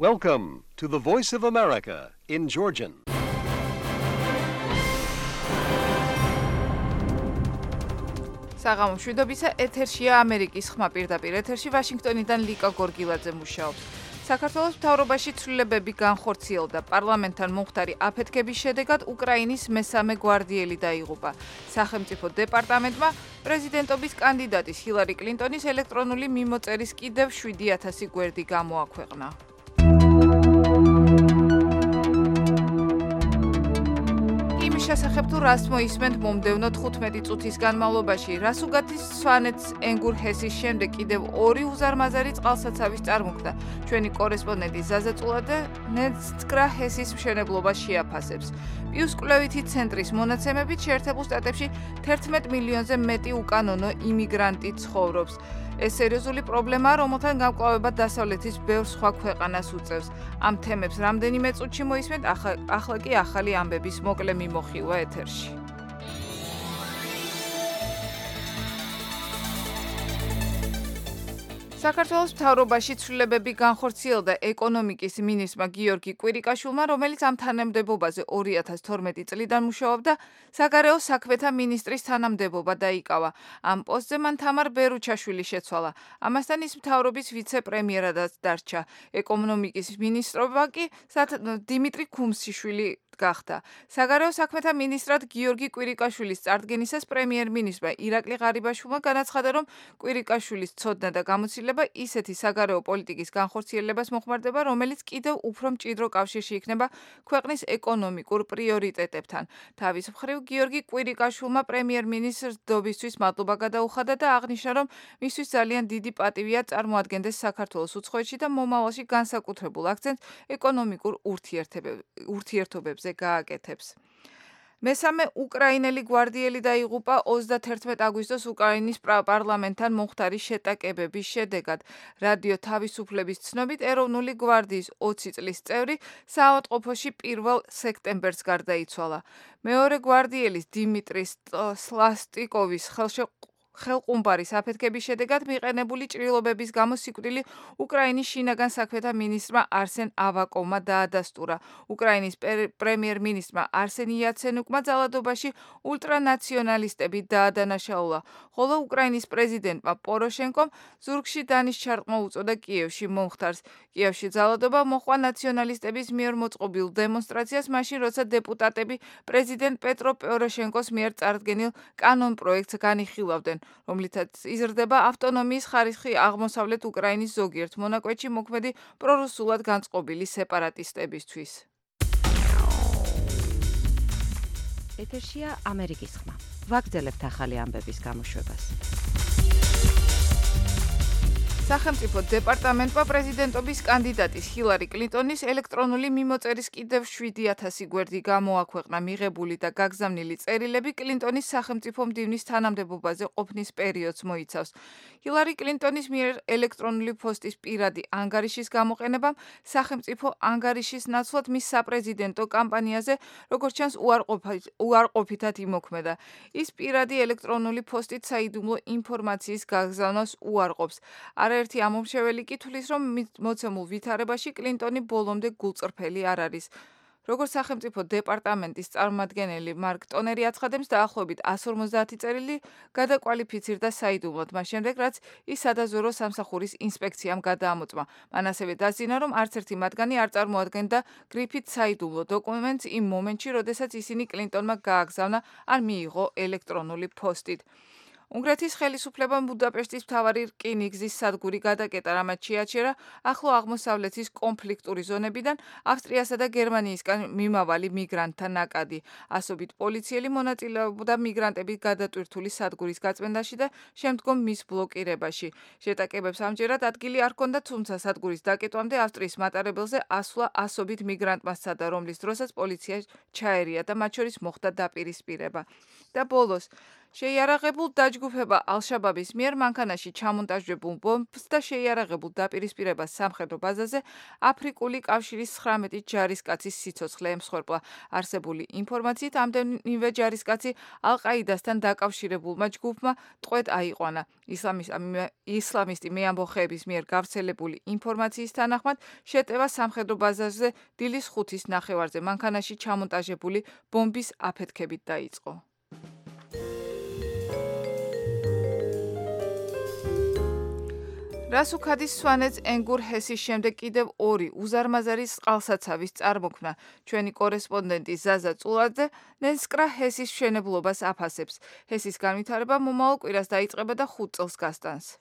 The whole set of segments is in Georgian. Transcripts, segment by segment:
Welcome to the Voice of America in Georgian. საღამო მშვიდობისა, ეთერშია ამერიკის ხმა პირდაპირ ეთერში ვაშინგტონიდან ლიკა გორგილაძე მუშაობს. საქართველოს მთავრობაში ცვლილებები განხორციელდა. პარლამენტთან მომხდარი აფეთქების შედეგად უკრაინის მესამე გვარდიელი დაიღუპა. სახელმწიფო დეპარტამენტმა პრეზიდენტობის კანდიდატის ჰილარი კლინტონის ელექტრონული მიმოწერის კიდევ 7,000 გვერდი გამოაქვეყნა. შესახებ თუ რას მოისმენთ მომდევნო 15 წუთის განმავლობაში, რას უგათის სვანეთს ენგურ ჰესის შემდეგ კიდევ 2 უზარმაზარი წყალსაცავის წარმოქმნა. ჩვენი კორესპონდენტი ზაზა წულაძე ნეცკრა ჰესის მშენებლობას შეაფასებს. პიუს კვლევითი ცენტრის მონაცემებით შეერთებულ შტატებში 11 მილიონზე მეტი უკანონო იმიგრანტი ცხოვრობს. ეს სერიოზული პრობლემაა, რომელთან გამკლავება დასავლეთის ბევრ სხვა ქვეყანას უწევს. ამ თემებს რამდენიმე წუთში მოისმენთ, ახლა კი ახალი ამბების მოკლე მიმოხილვა ეთერში. საქართველოს მთავრობაში ცვლილებები განხორციელდა ეკონომიკის მინისტრმა გიორგი კვირიკაშვილმა, რომელიც ამ თანამდებობაზე 2012 წლიდან მუშაობდა, საგარეო საქმეთა მინისტრის თანამდებობა დაიკავა. ამ პოსტზე მან თამარ ბერუჩაშვილი შეცვალა. ამასთან ის მთავრობის ვიცე-პრემიერადაც დარჩა. ეკონომიკის მინისტრობა კი დიმიტრი ქუმსიშვილი გახდა. საგარეო საქმეთა მინისტრად გიორგი კვირიკაშვილის წარდგენისას პრემიერ-მინისტრმა ირაკლი ღარიბაშვილმა განაცხადა, რომ კვირიკაშვილის ცოდნა და გამოცდილება ისეთი საგარეო პოლიტიკის განხორციელებას მოხმარდება, რომელიც კიდევ უფრო მჭიდრო კავშირში იქნება ქვეყნის ეკონომიკურ პრიორიტეტებთან. თავის მხრივ გიორგი კვირიკაშვილმა პრემიერ-მინისტრს დობისთვის მადლობა გადაუხადა და აღნიშნა, რომ მისთვის ძალიან დიდი პატივია წარმოადგენდეს საქართველოს უცხოეთში და მომავალში განსაკუთრებულ აქცენტს ეკონომიკურ ურთიერთობებზე გააკეთებს. მესამე უკრაინელი გვარდიელი დაიღუპა 31 აგვისტოს უკრაინის პარლამენტთან მომხდარი შეტაკებების შედეგად. რადიო თავისუფლების ცნობით, ეროვნული გვარდიის 20 წლის წევრი საავადმყოფოში 1 სექტემბერს გარდაიცვალა. მეორე გვარდიელის დიმიტრი სლასტიკოვის ხელყუმბარის აფეთქების შედეგად მიყენებული ჭრილობების გამო სიკვდილი უკრაინის შინაგან საქმეთა მინისტრმა არსენ ავაკოვმა დაადასტურა. უკრაინის პრემიერ-მინისტრმა არსენ იაცენუკმა ძალადობაში ულტრანაციონალისტები დაადანაშაულა, ხოლო უკრაინის პრეზიდენტმა პოროშენკომ ზურგში დანიშჩარყმა უწოდა კიევში მომხდარს. კიევში ძალადობა მოჰყვა ნაციონალისტების მიერ მოწყობილ დემონსტრაციას, მაშინ როცა დეპუტატები პრეზიდენტ პეტრო პოროშენკოს მიერ წარდგენილ კანონ პროექტს განიხილავდნენ, რომლითაც იზრდება ავტონომიის ხარისხი აღმოსავლეთ უკრაინის ზოგიერთ მონაკვეთში მოქმედი პრორუსულად განწყობილი სეპარატისტებისთვის. ეთერშია ამერიკის ხმა. ვაგრძელებთ ახალი ამბების გამოშვებას. სახელმწიფო დეპარტამენტმა პრეზიდენტობის კანდიდატის ჰილარი კლინტონის ელექტრონული მიმოწერის კიდევ 7,000 გვერდი გამოაქვეყნა. მიღებული და გაგზავნილი წერილები კლინტონის სახელმწიფო მდივნის თანამდებობაზე ყოფნის პერიოდს მოიცავს. ჰილარი კლინტონის მიერ ელექტრონული პოსტის პირადი ანგარიშის გამოყენებამ სახელმწიფო ანგარიშის ნაცვლად მის საპრეზიდენტო კამპანიაზე, როგორც ჩანს, უარყოფითად იმოქმედა. ის პირადი ელექტრონული პოსტით საიდუმლო ინფორმაციის გაგზავნას უარყოფს. ერთი ამომრჩეველი კი თვლის, რომ მოცემულ ვითარებაში კლინტონი ბოლომდე გულწრფელი არ არის. როგორც სახელმწიფო დეპარტამენტის წარმომადგენელი მარკ ტონერი აცხადებს, დაახლოებით 150 წერილი გადაკვალიფიცირდა საიდუმლოდ, მას შემდეგ, რაც ის სადაზვერვო სამსახურის ინსპექციამ გადაამოწმა. მან ასევე დასძინა, რომ არც ერთი მათგანი არ წარმოადგენდა გრიფით საიდუმლო დოკუმენტს იმ მომენტში, როდესაც ისინი კლინტონმა გააგზავნა ან მიიღო ელექტრონული პოსტით. უნგრეთის ხელისუფლებამ ბუდაპეშტის მთავარი რკინიგზის სადგური გადაკეტა, რამაც შეაჩერა ახლო აღმოსავლეთის კონფლიქტური ზონებიდან ავსტრიასა და გერმანიისგან მიმავალი მიგრანტთა ნაკადი. ასობით პოლიციელი მონაწილეობდა მიგრანტების გადატვირთული სადგურის გაწმენდაში და შემდგომ მის ბლოკირებაში. შეტაკებებს ამჯერად ადგილი არ ჰქონდა, თუმცა სადგურის დაკეტვამდე ავსტრიის მატარებელზე ასვლა ასობით მიგრანტმა სცადა, რომლის დროსაც პოლიცია ჩაერია და მათ შორის მოხდა დაპირისპირება. და ბოლოს შეიარაღებულ დაჯგუფება ალ-შაბაბის მიერ მანქანაში ჩამონტაჟებულ ბომბს და შეიარაღებულ დაპირისპირებას სამხედრო ბაზაზე აფრიკული კავშირის 19 ჯარისკაცის სიცოცხლე ემსხვერპლა. არსებული ინფორმაციით, ამდენივე ჯარისკაცი ალ-ყაიდასთან დაკავშირებულმა ჯგუფმა ტყვედ აიყვანა. ისლამისტი მეამბოხეების მიერ გავრცელებული ინფორმაციის თანახმად, შეტევა სამხედრო ბაზაზე დილის 5-ის ნახევარზე მანქანაში ჩამონტაჟებული ბომბის აფეთქებით დაიწყო. რასუქადის სვანეთს ენგურ ჰესის შემდეგ კიდევ 2 უზარმაზარი წყალსაცავის წარმოქმნა. ჩვენი კორესპონდენტი ზაზა წულაძე ნენსკრა ჰესის მშენებლობას აფასებს. ჰესის განვითარება მომავალ კვირას დაიწყება და 5 წელს გასტანს.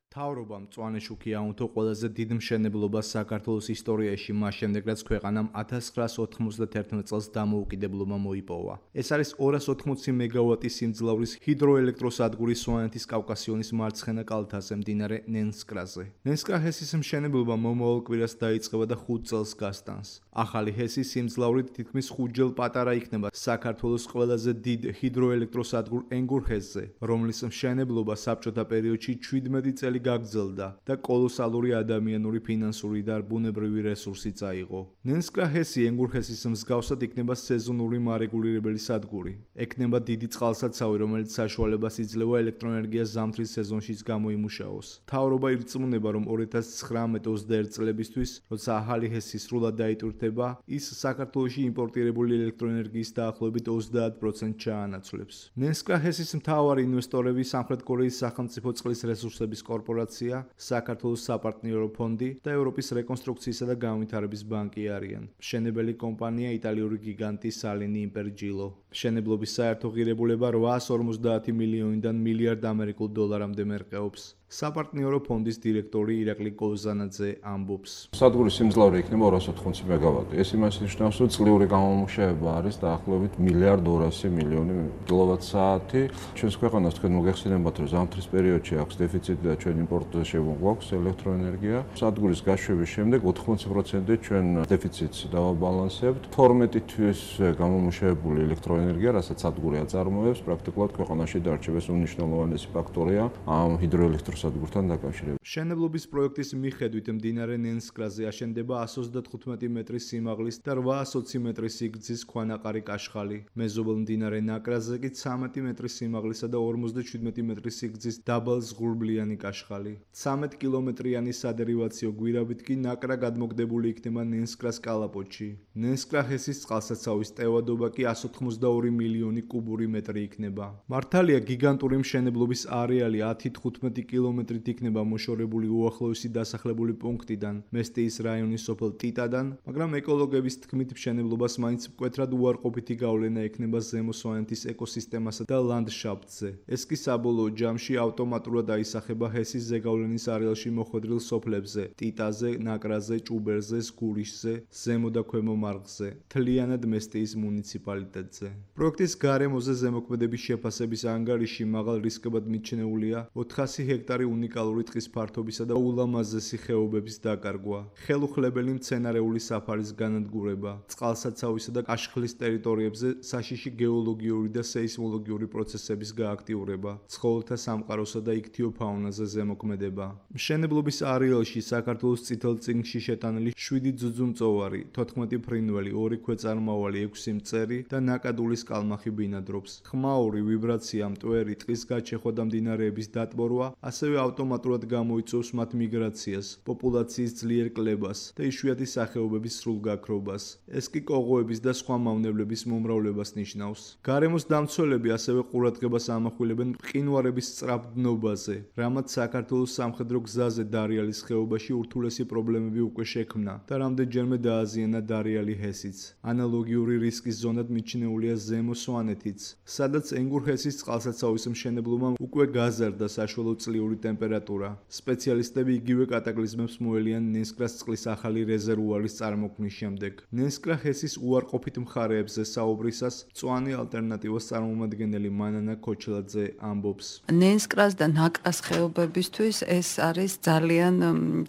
მთავრობამ მწვანე-შუქი აუნთო ყველაზე დიდ მშენებლობას საქართველოს ისტორიაში, მას შემდეგ რაც ქვეყანამ 1991 წელს დამოუკიდებლობა მოიპოვა. ეს არის 280 მეგავატის სიმძლავრის ჰიდროელექტროსადგური სვანეთის კავკასიონის მარცხენა კალთაზე, მდინარე ნენსკრაზე. ნენსკრა ჰესის მშენებლობა მომავალ კვირას დაიწყება და 5 წელს გასტანს. ახალი ჰესის სიმძლავრით თითქმის 5-ჯერ პატარა იქნება საქართველოს ყველაზე დიდ ჰიდროელექტროსადგურ ენგურ ჰესზე, რომლის მშენებლობა საბჭოთა პერიოდში 17 წელი გაგრძელდა და კოლოსალური ადამიანური, ფინანსური და ბუნებრივი რესურსი წაიღო. ნენსკრა ჰესი ენგურ ჰესის მსგავსად იქნება სეზონური მარეგულირებელი სადგური. ექნება დიდი წყალსაცავი, რომელიც საშუალებას იძლევა ელექტროენერგიას ზამთრის სეზონშიც გამოიმუშაოს. მთავრობა ირწმუნება, რომ 2019-21 წლებისთვის, როცა ახალი ჰესი სრულად დაიტვირთება, ის საქართველოში იმპორტირებული ელექტროენერგიის დაახლოებით 30% ჩაანაცვლებს. ნენსკრა ჰესის მთავარი ინვესტორები სამხრეთ კორეის სახელმწიფო წყლის რესურსების კორპორაცია, საქართველოს საპარტნიორო ფონდი და ევროპის რეკონსტრუქციისა და განვითარების ბანკი არიან. მშენებელი კომპანია იტალიური გიგანტი სალინი იმპერჯილო. მშენებლობის საერთო ღირებულება 850 მილიონიდან მილიარდ ამერიკულ დოლარამდე მერყეობს. საპარტნიორო ფონდის დირექტორი ირაკლი კოზანაძე ამბობს. სადგურის სიმძლავრე იქნება 280 მეგავატი. ეს იმას ნიშნავს, რომ წლიური გამომუშავება არის დაახლოებით მილიარდ 200 მილიონი კილოვატ-საათი. ჩვენს ქვეყანას თქვენ მოგეხსენებათ, რომ ზამთრის პერიოდში აქვს დეფიციტი და ჩვენ იმპორტზე შემოგვაქვს ელექტროენერგია. სადგურის გაშვების შემდეგ 80% ჩვენ დეფიციტს დავაბალანსებთ. 12 თვის გამომუშავებული ელექტროენერგია, რასაც სადგური აწარმოებს, პრაქტიკულად ქვეყანაში დარჩება. ეს უნიშნელოვანესი ფაქტორია ამ ჰიდროელექტროსადგურთან დაკავშირებით. მშენებლობის პროექტის მიხედვით მდინარე ნენსკრაზე აშენდება 115 მეტრის სიმაღლის და 820 მეტრის სიგრძის ქვანაყარი კაშხალი. მეზობელ მდინარე ნაკრაზე კი 13 მეტრის სიმაღლისა და 57 მეტრის სიგრძის დაბალზღურბლიანი კაშხალი. 13 კილომეტრიანი სადერივაციო გვირაბით კი ნაკრა გადმოგდებული იქნება ნენსკრას კალაპოტში. ნენსკრა ჰესის წყალსაცავის ტევადობა კი 182 მილიონი კუბური მეტრი იქნება. მართალია გიგანტური მშენებლობის არეალი 10-15 კილომეტრით იქნება მოშორებული უახლოესი დასახლებული პუნქტიდან, მესტიის რაიონის სოფელ ტიტადან, მაგრამ ეკოლოგების თქმით მშენებლობას მაინც მკვეთრად უარყოფითი გავლენა ექნება ზემო სვანეთის ეკოსისტემასა და ლანდშაფტზე. ეს კი საბოლოო ჯამში ავტომატურად აისახება ჰესის ზეგავლენის არეალში მოხვედრილ სოფლებზე: ტიტაზე, ნაკრაზე, ჭუბერზე, სგურიშზე, ზემო და ქვემო მარხზე, მთლიანად მესტიის მუნიციპალიტეტზე. პროექტის გარემოზე ზემოქმედების შეფასების ანგარიში მაღალ რისკებად მიჩნეულია 400 ჰექტარი უნიკალური ტყის ფართობისა და ულამაზესი ხეობების დაკარგვა, ხელუხლებელი მცენარეული საფარის განადგურება, წყალსაცავისა და კაშხლის ტერიტორიებზე საშიში გეოლოგიური და სეისმოლოგიური პროცესების გააქტიურება, ცხოველთა სამყაროსა და იქთიო ფაუნაზე ზემოქმედება. მშენებლობის არეალში საქართველოს წითელ წიგნში შეტანილი 7 ძუძუმწოვარი, 14 ფრინველი, 2 ქვეწარმავალი, 6 მწერი და ნაკადულის კალმახი ბინადრობს. ხმაური, ვიბრაცია, მტვერი, ტყის გაჩეხვა და მდინარეების დატბორვა ასევე ავტომატურად გამოიწვევს მათ მიგრაციას, პოპულაციის ძლიერ კლებას და იშვიათი სახეობების სრულ გაქრობას. ეს კი კოღოების და სხვა მავნებლების მომრავლებას ნიშნავს. გარემოს დამცველები ასევე ყურადღებას ამახვილებენ მყინვარების სწრაფ დნობაზე, რამაც საქართველოს სამხედრო გზაზე დარიალის ხეობაში ურთულესი პრობლემები უკვე შექმნა და რამდენჯერმე დააზიანა დარიალი ჰესიც. ანალოგიური რისკის ზონად მიჩნეულია ზემო სვანეთიც, სადაც ენგურ ჰესის წყალსაცავის მშენებლობამ უკვე გაზარდა საშუალო წლიური ატმოსფერული ტემპერატურა. სპეციალისტები იგივე კატაკლიზმებს მოელიან ნენსკრას წყლის ახალი რეზერვუარის წარმოქმნის შემდეგ. ნენსკრა ჰესის უარყოფით მხარეებზე საუბრისას მწვანე ალტერნატივას წარმომადგენელი მანანა ქოჩლაძე ამბობს. ნენსკრას და ნაკრას ხეობებისთვის ეს არის ძალიან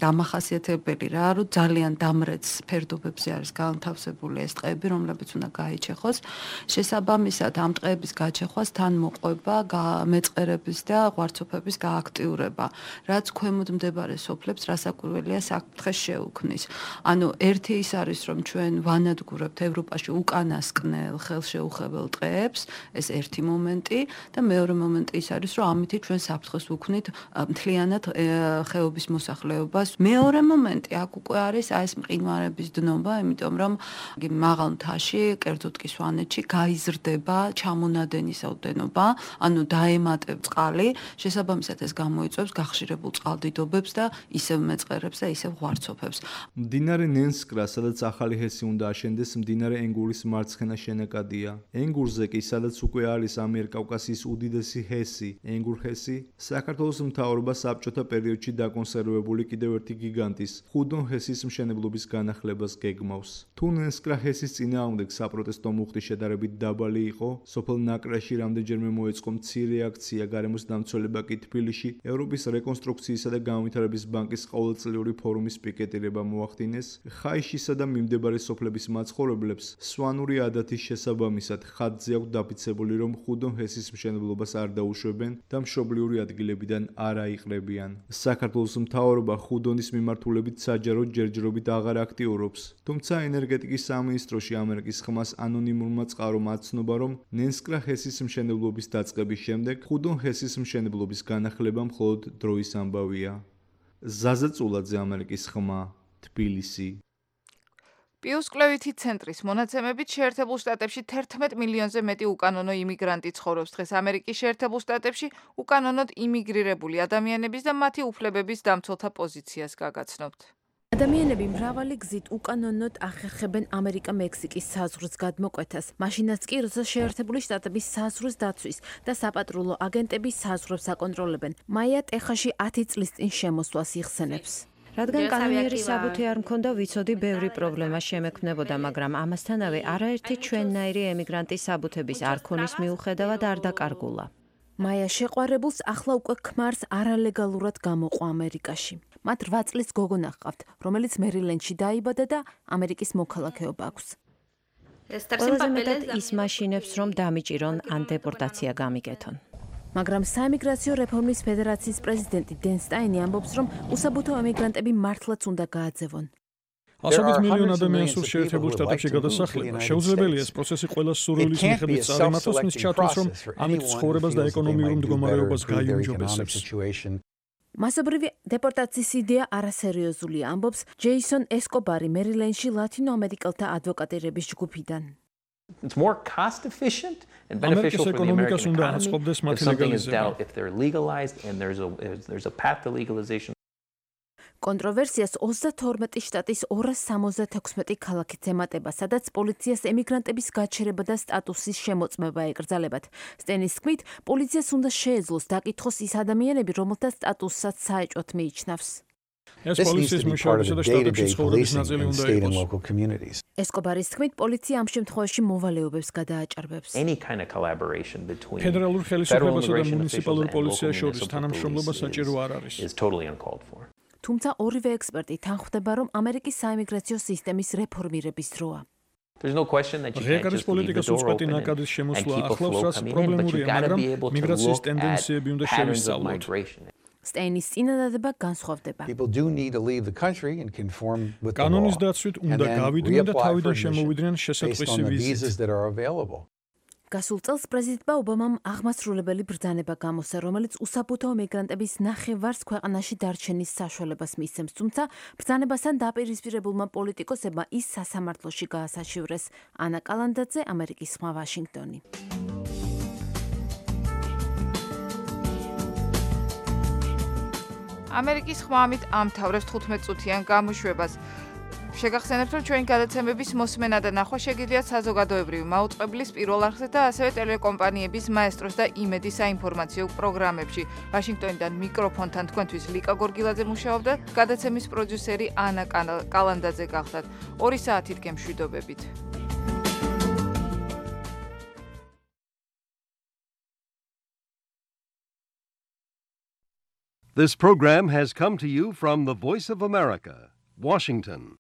დამახასიათებელი რა, რომ ძალიან დამრეც ფერდობებზე არის განთავსებული ეს ტყეები, რომლებიც უნდა გაიჩეხოს. შესაბამისად, ამ ტყეების გაჩეხვას თან მოყვება მეწყერების და ღვარცოფების გააქტიურება, რაც ქვემოთ მდებარე სოფლებს რასაკვირველია საფრთხეს შეუქმნის. ანუ ერთი ის არის, რომ ჩვენ ვანადგურებთ ევროპაში უკანასკნელ ხელშეუხებელ ტყეებს, ეს ერთი მომენტი და მეორე მომენტი ის არის, რომ ამით ჩვენ საფრთხეს ვუქმნით მთლიანად ხეობის მოსახლეობას. მეორე მომენტი აქ უკვე არის ეს მყინვარების დნობა, იმიტომ რომ მაღალ მთაში, კერძოდ კი სვანეთში გაიზრდება ჩამონადენის ოდენობა, ანუ დაემატებს წყალი, შესაბამისად ეს გამოიწვევს გახშირებულ წყალდიდობებს და ისევ მეწყერებს და ისევ ღვარცოფებს. მდინარე ნენსკრა, სადაც ახალი ჰესი უნდა აშენდეს, მდინარე ენგურის მარცხენა შენაკადია. ენგურზე კი, სადაც უკვე არის ამიერკავკასიის უდიდესი ჰესი, ენგურ-ჰესი, საქართველოს მთავრობა საბჭოთა პერიოდში დაკონსერვებული კიდევ ერთი გიგანტის, ხუდონ ჰესის მშენებლობის განახლებას გეგმავს. თუ ნენსკრა ჰესის წინააღმდეგ საპროტესტო მუხტი შედარებით დაბალი იყო, სოფელ ნაკრაში რამდენჯერმე მოეწყო მცირე აქცია, გარემოს დამცველება კი თბილისში ევროპის რეკონსტრუქციისა და განვითარების ბანკის ყოველწლიური ფორუმის პიკეტირება მოახდინეს. ხაიშისა და მიმდებარე სოფლების მაცხოვრებლებს სვანური ადათის შესაბამისად ხატზე აქვს დაფიცებული, რომ ხუდონ ჰესის მშენებლობას არ დაუშვებენ და მშობლიური ადგილებიდან არ აიყრებიან. საქართველოს მთავრობა ხუდონის მიმართულებით საჯარო ჯერჯერობით აღარ აქტიურობს, თუმცა ენერგეტიკის სამინისტროში ამერიკის ხმას ანონიმურმა წყარომ აცნობა, რომ ნენსკრა ჰესის მშენებლობის დაწყების შემდეგ ხუდონ ჰესის მშენებლობის განახლება მხოლოდ დროის ამბავია. ზაზა წულაძე, ამერიკის ხმა, თბილისი. პიუსკვლევითი ცენტრის მონაცემებით შეერთებულ შტატებში 11 მილიონზე მეტი უკანონო იმიგრანტი ცხოვრობს დღეს ამერიკის შეერთებულ შტატებში უკანონოდ იმიგრირებული ადამიანების და მათი უფლებების დამცველთა პოზიციას გაგაცნობთ. ადამიანები მრავალი გზით უკანონოდ ახერხებენ ამერიკა-მექსიკის საზღვრის გადმოკვეთას. მაშინაც კი, როცა შეერთებული შტატების საზღვრის დაცვის და საპატრულო აგენტები საზღვრებს აკონტროლებენ. მაია ტეხასში 10 წლის წინ შემოსვლას იხსენებს. რადგან კანონიერი საბუთი არ მქონდა, ვიცოდი ბევრი პრობლემა შემექმნებოდა, მაგრამ ამასთანავე არაერთი ჩვენნაირი ემიგრანტის საბუთების არ ქონის მიუხედავად არ დაკარგულა. მაია შეყვარებულს ახლა უკვე ქმარს არალეგალურად გამოყვა ამერიკაში. მათ 8 წლის გოგონა ჰყავთ, რომელიც მერილენდში დაიბადა და ამერიკის მოქალაქეობა აქვს. ყველაზე მეტად ის მაშინებს, რომ დამიჭირონ ან დეპორტაცია გამიკეთონ. მაგრამ საემიგრაციო რეფორმის ფედერაციის პრეზიდენტი დენ სტაინი ამბობს, რომ უსაბუთო ემიგრანტები მართლაც უნდა გააძევონ. ასობით მილიონ ადამიანს სურს შეერთებულ შტატებში გადასახლება. შეუძლებელია ეს პროცესი ყველას სურვილის მიხედვით წარიმართოს, მის ჩათვლას, რომ ამით ცხოვრებას და ეკონომიურ მდგომარეობას გაიუმჯობესებს. მასობრივი დეპორტაციის იდეა არასერიოზულია, ამბობს ჯეისონ ესკობარი მერილენდში ლათინო ამერიკელთა ადვოკატირების ჯგუფიდან. It's more cost efficient and beneficial for the American economy if something is dealt, if they're legalized and there's a path to legalization. კონტროვერსიას 32 შტატის 276 ქალაქით ემატება, სადაც პოლიციას ემიგრანტების გაჩერება და სტატუსის შემოწმება ეკრძალებათ. სტენის თქმით, პოლიციას უნდა შეეძლოს დაკითხოს ის ადამიანები, რომელთა სტატუსსაც საეჭვოდ მიიჩნევს. ეს პოლიციის მუშაობისა და შტატებში ცხოვრების ნაწილი უნდა იყოს. ესკობარის თქმით, პოლიცია ამ შემთხვევაში მოვალეობებს გადააჭარბებს. ფედერალურ ხელისუფლებასა და მუნიციპალურ პოლიციას შორის თანამშრომლობა საჭირო არ არის. თუმცა ორივე ექსპერტი თანხმდება, რომ ამერიკის საემიგრაციო სისტემის რეფორმირების დროა. ღიაკარის პოლიტიკას უწყვეტი ნაკადის შემოსვლა ახლავს, რაც პრობლემურია, მაგრამ მიგრაციის ტენდენციები უნდა შევისწავლოთ. სტეინის წინადადება განსხვავდება. კანონის დაცვით უნდა გავიდნენ და თავიდან შემოვიდნენ შესაძლისი ვიზით. გასულ წელს პრეზიდენტმა ობამამ აღმასრულებელი ბრძანება გამოსცა, რომელიც უსაბუთო მიგრანტების ნახევარს ქვეყანაში დარჩენის საშუალებას მისცემს, თუმცა ბრძანებასთან დაპირისპირებულმა პოლიტიკოსებმა ის სასამართლოში გაასაჩივრეს. ანა კალანდაძე, ამერიკის ხმა, ვაშინგტონი. ამერიკის ხმა ამით ამთავრებს 15 წუთიან გამოშვებას. შეგახსენებთ, რომ ჩვენი გადაცემების მოსმენა და ნახვა შეგიძლიათ საზოგადოებრივი მაუწყებლის პირველ არხზე და ასევე ტელეკომპანიების მაესტროს და იმედის საინფორმაციო პროგრამებში. ვაშინგტონიდან მიკროფონთან თქვენთვის ლიკა გორგილაძე მუშაობდა, გადაცემის პროდიუსერი ანა კალანდაძე გახლდათ. 2 საათით გემშვიდობებით. This program has come to you from the Voice of America, Washington.